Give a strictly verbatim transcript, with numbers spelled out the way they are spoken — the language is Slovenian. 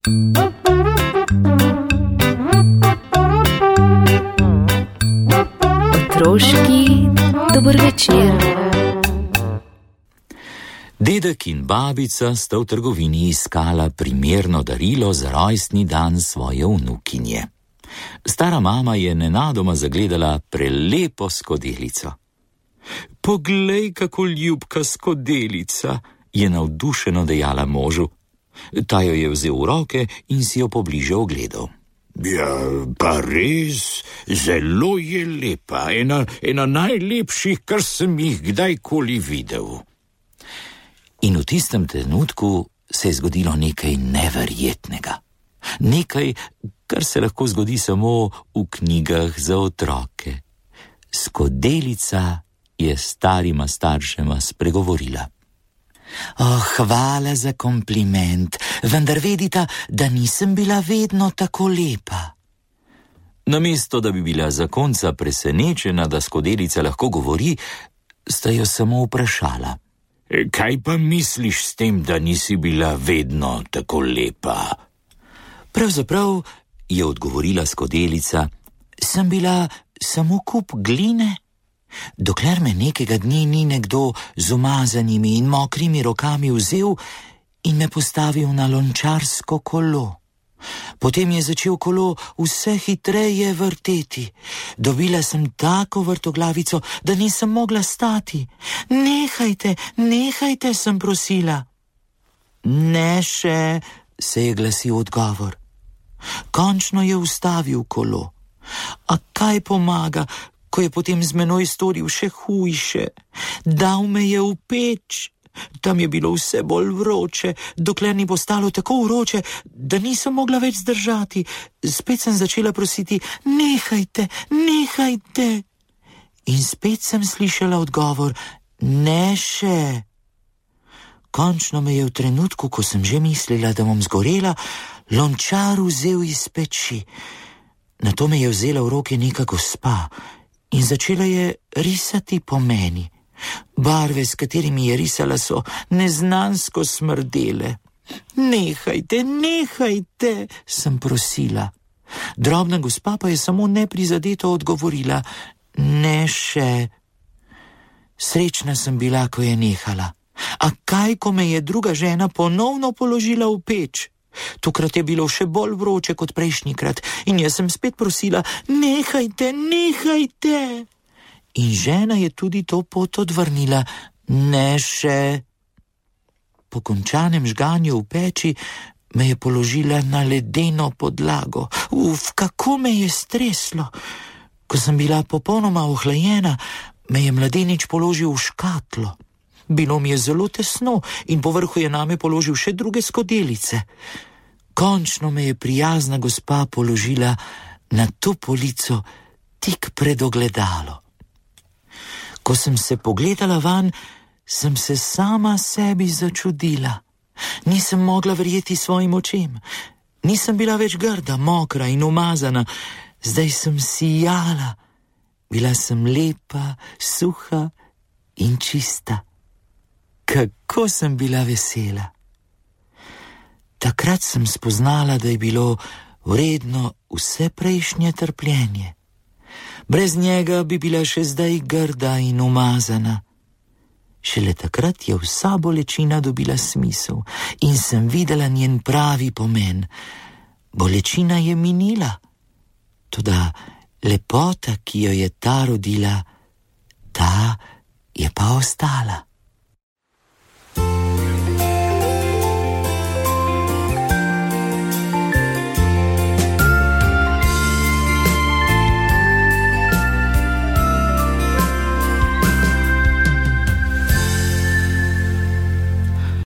Otroški dober večer. Dedek in babica sta v trgovini iskala primerno darilo za rojstni dan svoje vnukinje. Stara mama je nenadoma zagledala prelepo skodelico. Poglej, kako ljubka skodelica, je navdušeno dejala možu. Ta jo je vzel v roke in si jo pobliže ogledal. Ja, pa res, zelo je lepa, ena, ena najlepših, kar sem jih kdajkoli videl. In v tistem trenutku se je zgodilo nekaj neverjetnega. Nekaj, kar se lahko zgodi samo v knjigah za otroke. Skodelica je starima staršema spregovorila. Oh, hvala za kompliment, vendar vedita, da nisem bila vedno tako lepa. Namesto, da bi bila zakonca presenečena, da skodelica lahko govori, sta jo samo vprašala. Kaj pa misliš s tem, da nisi bila vedno tako lepa? Pravzaprav, je odgovorila skodelica, sem bila samo kup gline. Dokler me nekega dni ni nekdo z umazanimi in mokrimi rokami vzel in me postavil na lončarsko kolo. Potem je začel kolo vse hitreje vrteti. Dobila sem tako vrtoglavico, da nisem mogla stati. Nehajte, nehajte, sem prosila. Ne še, se je glasil odgovor. Končno je ustavil kolo. A kaj pomaga, ko je potem z menoj storil še hujše? Dal me je v peč. Tam je bilo vse bolj vroče, dokler ni postalo tako vroče, da nisem mogla več zdržati. Spet sem začela prositi, nehajte, nehajte. In spet sem slišala odgovor, ne še. Končno me je v trenutku, ko sem že mislila, da bom zgorela, lončar vzel iz peči. Nato me je vzela v roke neka gospa in začela je risati po meni. Barve, s katerimi je risala, so neznansko smrdele. Nehajte, nehajte, sem prosila. Drobna gospa pa je samo neprizadeto odgovorila, ne še. Srečna sem bila, ko je nehala. A kaj, ko me je druga žena ponovno položila v peč? Tokrat je bilo še bolj vroče kot prejšnjikrat in jaz sem spet prosila, nehajte, nehajte. In žena je tudi to pot odvrnila, ne še. Po končanem žganju v peči me je položila na ledeno podlago. Uf, kako me je streslo. Ko sem bila popolnoma ohlajena, me je mladenič položil v škatlo. Bilo mi je zelo tesno in povrhu je name položil še druge skodelice. Končno me je prijazna gospa položila na to polico tik pred ogledalo. Ko sem se pogledala van, sem se sama sebi začudila. Nisem mogla verjeti svojim očem. Nisem bila več grda, mokra in umazana. Zdaj sem sijala. Bila sem lepa, suha in čista. Kako sem bila vesela. Takrat sem spoznala, da je bilo vredno vse prejšnje trpljenje. Brez njega bi bila še zdaj grda in umazana. Šele takrat je vsa bolečina dobila smisel in sem videla njen pravi pomen. Bolečina je minila, toda lepota, ki jo je ta rodila, ta je pa ostala.